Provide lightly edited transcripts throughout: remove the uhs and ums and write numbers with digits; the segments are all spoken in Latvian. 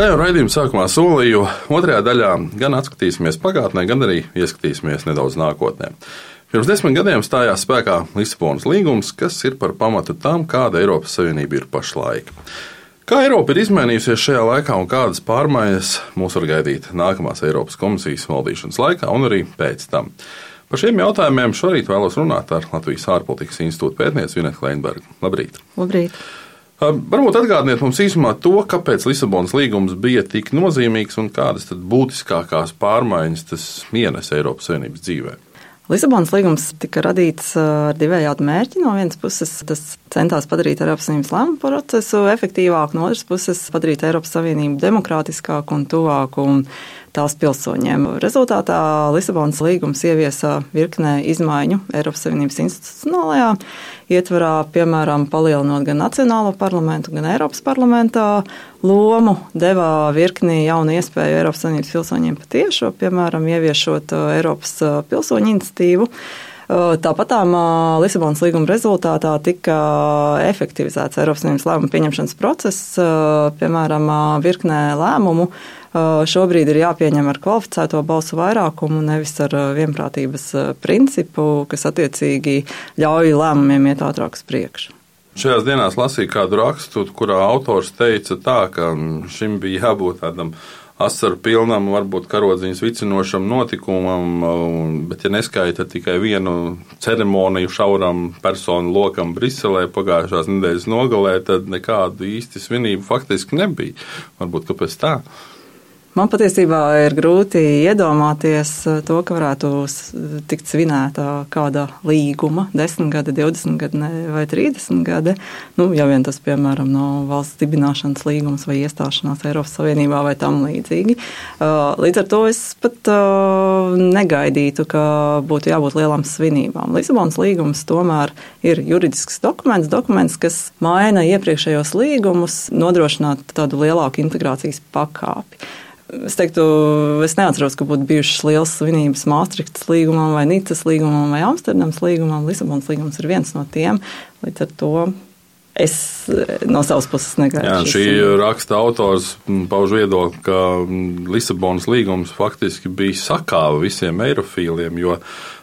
Kā jau raidījuma sākumā solīju, otrajā daļā gan atskatīsimies pagātnē, gan arī ieskatīsimies nedaudz nākotnē. Pirms 10 gadiem stājās spēkā Lisabonas līgums, kas ir par pamatu tam, kāda Eiropas Savienība ir pašlaik. Kā Eiropa ir izmainījusies šajā laikā un kādas pārmaiņas mūs var gaidīt nākamās Eiropas komisijas valdīšanas laikā un arī pēc tam? Par šiem jautājumiem šorīt vēlos runāt ar Latvijas ārpolitikas institūta pētnieci Vinetu Kleinbergu. Labrīt! Labrīt! Varbūt atgādiniet mums īsumā to, kāpēc Lisabonas līgums bija tik nozīmīgs un kādas tad būtiskākās pārmaiņas tas ienes Eiropas Savienības dzīvē. Lisabonas līgums tika radīts ar divējādu mērķi. No vienas puses tas centās padarīt Eiropas Savienības lēmumu procesu efektīvāku, no otras puses padarīt Eiropas Savienību demokrātiskāku un tuvāku tās pilsoņiem. Rezultātā Lisabonas līgums ieviesa virknē izmaiņu Eiropas Savienības institucionālajā ietvarā, piemēram, palielinot gan Nacionālo parlamentu, gan Eiropas parlamentā lomu, devā virkni jaunu iespēju Eiropas Savienības pilsoņiem patiešo, piemēram, ieviešot Eiropas pilsoņu iniciatīvu. Tāpatām Lisabonas līguma rezultātā tika efektivizēts Eiropas Savienības lēmumu pieņemšanas process, piemēram, virknē lēmumu. Šobrīd ir jāpieņem ar kvalificēto balsu vairākumu, nevis ar vienprātības principu, kas attiecīgi ļauj lēmumiem iet ātrāk uz priekšu. Šajās dienās lasīju kādu rakstu, kurā autors teica tā, ka šim bija jābūt tādam asaru pilnam, varbūt karodziņas vicinošam notikumam, bet ja neskaita tikai vienu ceremoniju šauram personu lokam Briselē pagājušās nedēļas nogalē, tad nekādu īsti svinību faktiski nebija. Varbūt kāpēc tā? Man patiesībā ir grūti iedomāties to, ka varētu tikt svinēta kāda līguma 10 gadi, 20 gadi vai 30 gadi. Ja vien tas, piemēram, nav valsts dibināšanas līgums vai iestāšanās Eiropas Savienībā vai tam līdzīgi. Līdz ar to es pat negaidītu, ka būtu jābūt lielām svinībām. Lisabonas līgums tomēr ir juridisks dokuments, kas maina iepriekšējos līgumus, nodrošināt tādu lielāku integrācijas pakāpi. Es teiktu, es neatceros, ka būtu bijušas lielas svinības Maastrichtas līgumam vai Nicas līgumam vai Amsterdamas līgumam. Lisabonas līgums ir viens no tiem, līdz ar to es no savas puses negaidu. Šī raksta autors pauž viedokli, ka Lisabonas līgums faktiski bija sakāva visiem eirofīliem, jo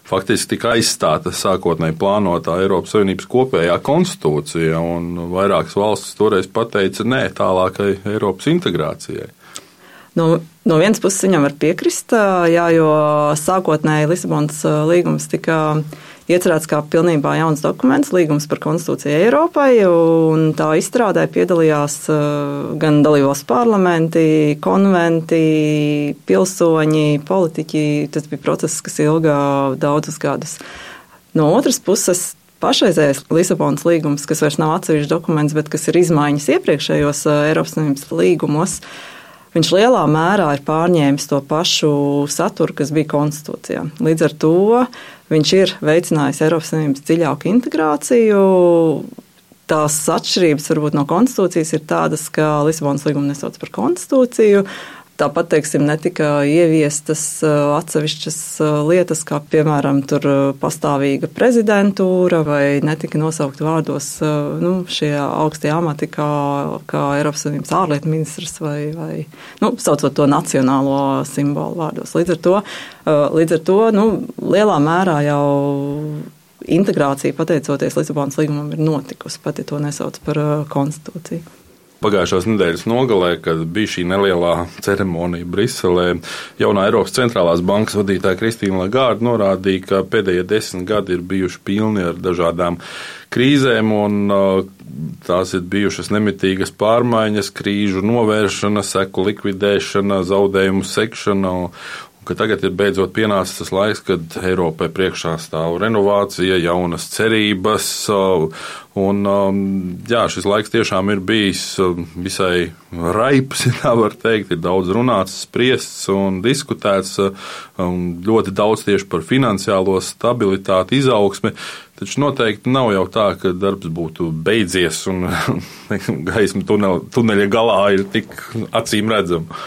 faktiski tika aizstāta sākotnēji plānotā Eiropas Savienības kopējā konstitūcija, un vairākas valstis toreiz pateica nē tālākai Eiropas integrācijai. No vienas puses viņam var piekrist, jo sākotnēji Lisabonas līgums tika iecerēts kā pilnībā jauns dokuments, līgums par konstitūciju Eiropai, un tā izstrādē piedalījās gan dalībvalstu parlamenti, konventi, pilsoņi, politiķi. Tas bija process, kas ilga daudzus gadus. No otras puses, pašreizējais Lisabonas līgums, kas vairs nav atsevišķs dokuments, bet kas ir izmaiņas iepriekšējos Eiropas Savienības līgumos, viņš lielā mērā ir pārņēmis to pašu saturu, kas bija konstitūcijā. Līdz ar to viņš ir veicinājis Eiropas Savienības dziļāku integrāciju. Tās atšķirības varbūt no konstitūcijas ir tādas, ka Lisabonas līgumu nesauc par konstitūciju. Tāpat, teiksim, netika ieviestas atsevišķas lietas, kā, piemēram, tur pastāvīga prezidentūra, vai netika nosaukt vārdos šie augstie amati, kā Eiropas Savienības ārlietu ministrs vai saucot to nacionālo simbolu vārdos. Līdz ar to lielā mērā jau integrācija, pateicoties Lisabonas līgumam, ir notikusi, pat ja to nesauc par konstitūciju. Pagājušās nedēļas nogalē, kad bija šī nelielā ceremonija Briselē, jaunā Eiropas centrālās bankas vadītāja Kristīna Lagarde norādīja, ka pēdējie 10 gadi ir bijuši pilni ar dažādām krīzēm, un tās ir bijušas nemitīgas pārmaiņas, krīžu novēršana, seku likvidēšana, zaudējumu sekšana, ka tagad ir beidzot pienācis tas laiks, kad Eiropai priekšā stāv renovācija, jaunas cerības, un šis laiks tiešām ir bijis visai raips, ja tā var teikt, ir daudz runāts, spriests un diskutēts, ļoti daudz tieši par finansiālo stabilitāti, izaugsmi, taču noteikti nav jau tā, ka darbs būtu beidzies un gaisma tuneļa galā ir tik acīm redzama.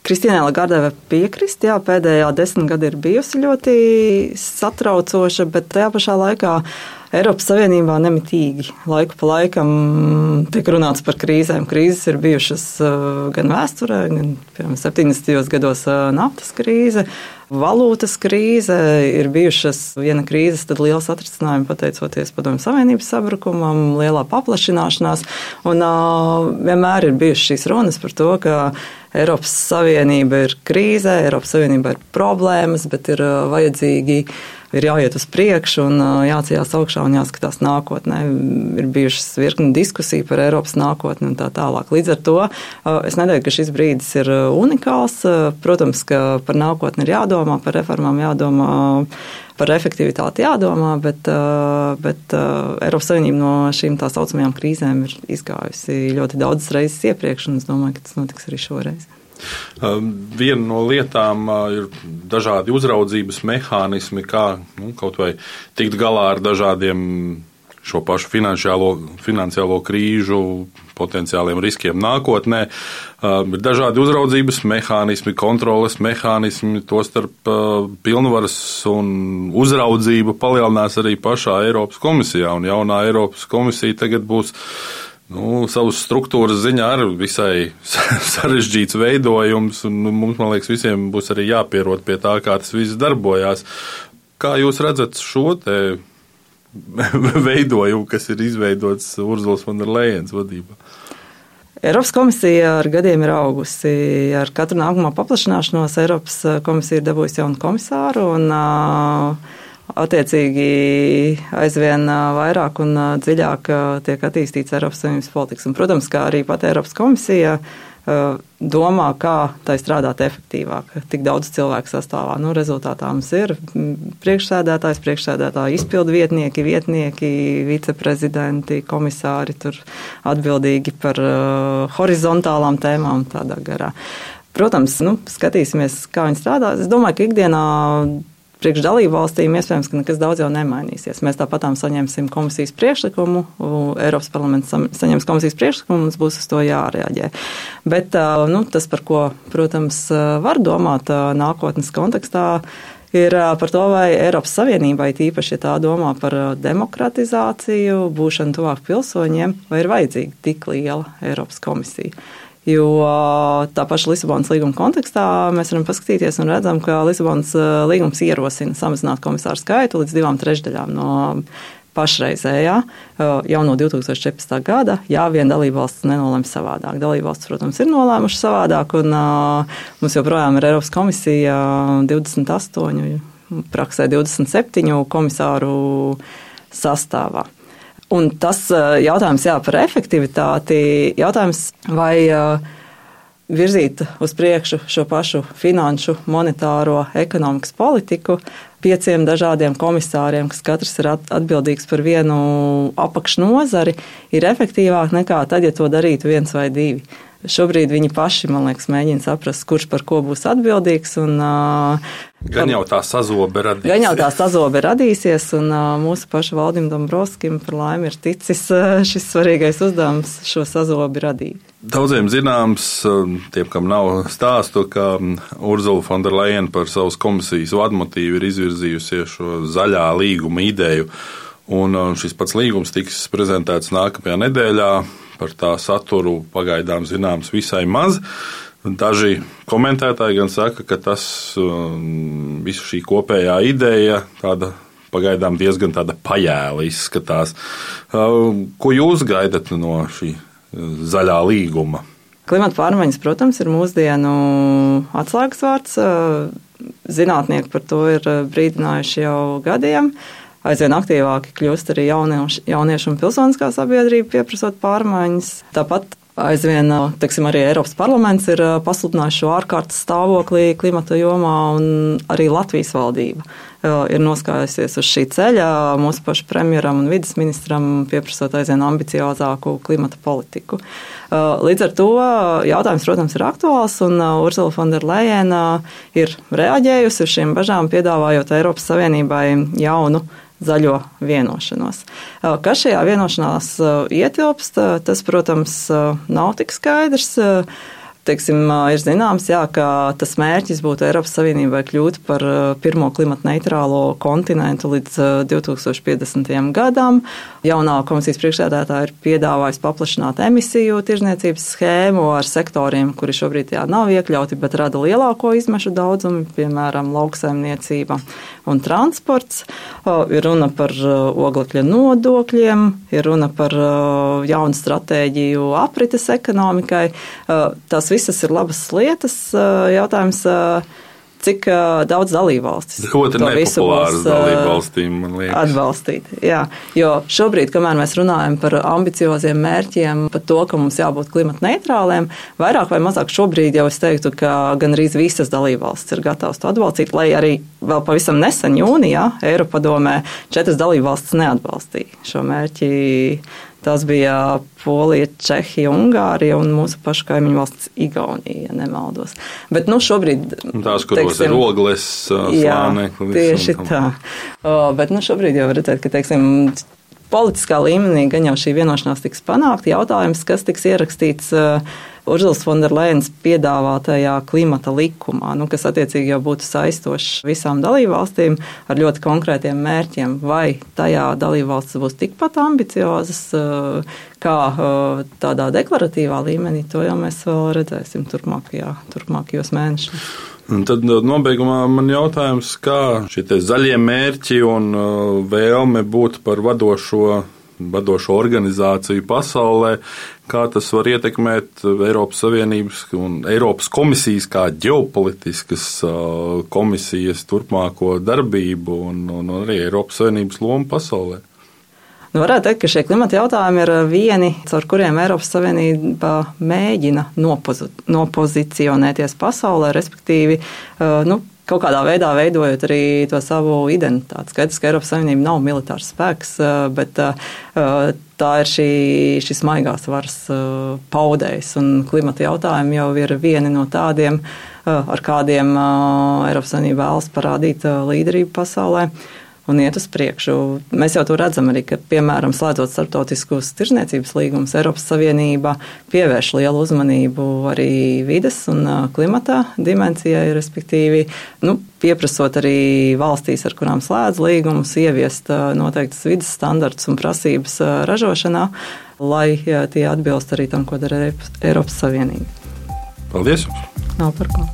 Kristīnai Lagardei var piekrist, pēdējā 10 gadi ir bijusi ļoti satraucoša, bet tajā pašā laikā Eiropas Savienībā nemitīgi laiku pa laikam tiek runāts par krīzēm. Krīzes ir bijušas gan vēsturē, gan, piemēram, 70. gados naftas krīze, valūtas krīze, ir bijušas viena krīzes, tad liels atrisinājumi pateicoties Padomju Savienības sabrukumam, lielā paplašināšanās, un vienmēr ir bijušas šīs runas par to, ka Eiropas Savienība ir krīzē, Eiropas Savienība ir problēmas, bet ir vajadzīgi, ir jāiet uz priekšu un jāceļās augšā un jāskatās nākotnē. Ir bijušas virkni diskusija par Eiropas nākotni un tā tālāk. Līdz ar to es nedomāju, ka šis brīdis ir unikāls. Protams, ka par nākotni ir jādomā, par reformām jādomā, par efektivitāti jādomā, bet Eiropas Savienība no šīm tā saucamajām krīzēm ir izgājusi ļoti daudzas reizes iepriekš, un es domāju, ka tas notiks arī šoreiz. Viena no lietām ir dažādi uzraudzības mehānismi, kā kaut vai tikt galā ar dažādiem šo pašu finansiālo krīžu potenciāliem riskiem nākotnē. Ir dažādi uzraudzības mehānismi, kontroles mehānismi, tostarp pilnvaras un uzraudzība palielinās arī pašā Eiropas komisijā, un jaunā Eiropas komisija tagad būs savas struktūras ziņā arī visai sarežģīts veidojums, un mums, man liekas, visiem būs arī jāpierod pie tā, kā tas viss darbojās. Kā jūs redzat šo te veidojumu, kas ir izveidots Urzulas von der Leyens vadībā? Eiropas komisija ar gadiem ir augusi. Ar katru nākamo paplašināšanos Eiropas komisija ir dabūjusi jaunu komisāru, un attiecīgi aizvien vairāk un dziļāk tiek attīstīts Eiropas Savienības politikas. Un, protams, kā arī pat Eiropas komisija domā, kā tai strādāt efektīvāk, tik daudz cilvēku sastāvā. Rezultātā mums ir priekšsēdētāji, izpildu vietnieki, viceprezidenti, komisāri, tur atbildīgi par horizontālām tēmām tādā garā. Protams, skatīsimies, kā viņi strādā. Es domāju, ka ikdienā priekš dalību valstīm iespējams, ka nekas daudz jau nemainīsies. Mēs tāpatām saņemsim komisijas priekšlikumu, Eiropas parlaments saņems komisijas priekšlikumu, mums būs uz to jārēģē. Bet tas, par ko, protams, var domāt nākotnes kontekstā, ir par to, vai Eiropas Savienībai, tīpaši, ja tā domā par demokratizāciju, būšanu tuvāk pilsoņiem, vai ir vajadzīga tik liela Eiropas komisija. Jo tā paša Lisabonas līguma kontekstā mēs varam paskatīties un redzam, ka Lisabonas līgums ierosina samazināt komisāru skaitu līdz 2/3 no pašreizējā jau no 2014. gada, ja vien dalībvalsts nenolem savādāk. Dalībvalsts, protams, ir nolēmuši savādāk, un mums joprojām ir Eiropas komisija 28, praksē 27 komisāru sastāvā. Un tas jautājums par efektivitāti, jautājums vai virzīt uz priekšu šo pašu finanšu, monetāro, ekonomikas politiku 5 dažādiem komisāriem, kas katrs ir atbildīgs par vienu apakšnozari, ir efektīvāk nekā tad, ja to darītu 1 vai 2. Šobrīd viņi paši, man liekas, mēģina saprast, kurš par ko būs atbildīgs. Gan jau tā sazobe radīsies, un mūsu paša Valdim Dombrovskim par laimi ir ticis šis svarīgais uzdevums šo sazobi radīt. Daudziem zināms, tiem, kam nav stāstu, ka Urzula von der Leyen par savas komisijas vadmotīvu ir izvirzījusies šo zaļā līguma ideju, un šis pats līgums tiks prezentēts nākamajā nedēļā. Par tā saturu pagaidām zināms visai maz. Daži komentētāji gan saka, ka tas visu šī kopējā ideja tāda pagaidām diezgan tāda pajēla izskatās. Ko jūs gaidat no šī zaļā līguma? Klimata pārmaiņas, protams, ir mūsdienu atslēgas vārds. Zinātnieki par to ir brīdinājuši jau gadiem. Aizvien aktīvāki kļūst arī jaunieši un pilsoniskā sabiedrība pieprasot pārmaiņas. Tāpat aizvien, arī Eiropas parlaments ir pasludinājis šo ārkārtas stāvoklī klimata jomā, un arī Latvijas valdība ir noskājusies uz šī ceļa mūsu pašu premjeram un vides ministram pieprasot aizvien ambiciozāku klimata politiku. Līdz ar to jautājums, protams, ir aktuāls, un Urzula von der Leyen ir reaģējusi uz šīm bažām, piedāvājot Eiropas Savienībai jaunu zaļo vienošanos. Kas šajā vienošanās ietilpst, tas, protams, nav tik skaidrs. teiksim, ir zināms, jā, ka tas mērķis būtu Eiropas Savienībai kļūt par pirmo klimatneitrālo kontinentu līdz 2050. gadam. Jaunā komisijas priekšsēdētāja ir piedāvājusi paplašināt emisiju tirdzniecības schēmu ar sektoriem, kuri šobrīd nav iekļauti, bet rada lielāko izmešu daudzumu, piemēram, lauksaimniecība un transports. Ir runa par oglekļa nodokļiem, ir runa par jaunu stratēģiju aprites ekonomikai. Tās visas ir labas lietas. Jautājums, cik daudz dalībvalstis ļoti nepopulāras dalībvalstīm, man liekas. Atbalstīt. Jā, jo šobrīd, kamēr mēs runājam par ambicioziem mērķiem, par to, ka mums jābūt klimatneitrāliem, vairāk vai mazāk šobrīd jau es teiktu, ka gandrīz visas dalībvalstis ir gatavas to atbalstīt, lai arī vēl pavisam nesen jūnijā Eiropadomē 4 dalībvalstis neatbalstīja šo mērķi. Tas bija Polija, Čehija, Ungārija un mūsu pašu kaimiņu valsts Igaunija, ja nemaldos. Bet šobrīd... Tās, kuros ir ogles, slāneklis. Tieši tā. Bet šobrīd jau redzēt, ka, politiskā līmenī gan jau šī vienošanās tiks panākta. Jautājums, kas tiks ierakstīts Urzulas Fonderlejenas piedāvātajā klimata likumā, kas attiecīgi jau būtu saistošs visām dalībvalstīm ar ļoti konkrētiem mērķiem. Vai tajā dalībvalstis būs tikpat ambiciozas kā tādā deklaratīvā līmenī, to jau mēs vēl redzēsim turpmākajos mēnešos. Un tad nobeigumā man jautājums, kā šie zaļie mērķi un vēlme būt par vadošo organizāciju pasaulē, kā tas var ietekmēt Eiropas Savienības un Eiropas komisijas kā ģeopolitiskas komisijas turpmāko darbību un arī Eiropas Savienības lomu pasaulē? Varētu teikt, ka šie klimata jautājumi ir vieni, caur kuriem Eiropas Savienība mēģina nopozicionēties pasaulē, respektīvi, kaut kādā veidā veidojot arī to savu identitāti. Skaidrs, ka Eiropas Savienība nav militārs spēks, bet tā ir šis maigās varas paudējs, un klimata jautājumi jau ir vieni no tādiem, ar kādiem Eiropas Savienība vēlas parādīt līderību pasaulē un iet uz priekšu. Mēs jau to redzam arī, ka, piemēram, slēdzot starptautiskus tirdzniecības līgumus, Eiropas Savienība pievērš lielu uzmanību arī vides un klimata dimensijai, respektīvi, pieprasot arī valstīs, ar kurām slēdz līgumus, ieviest noteiktas vides standartus un prasības ražošanā, lai tie atbilst arī tam, ko dara Eiropas Savienība. Paldies jums! Nav par ko.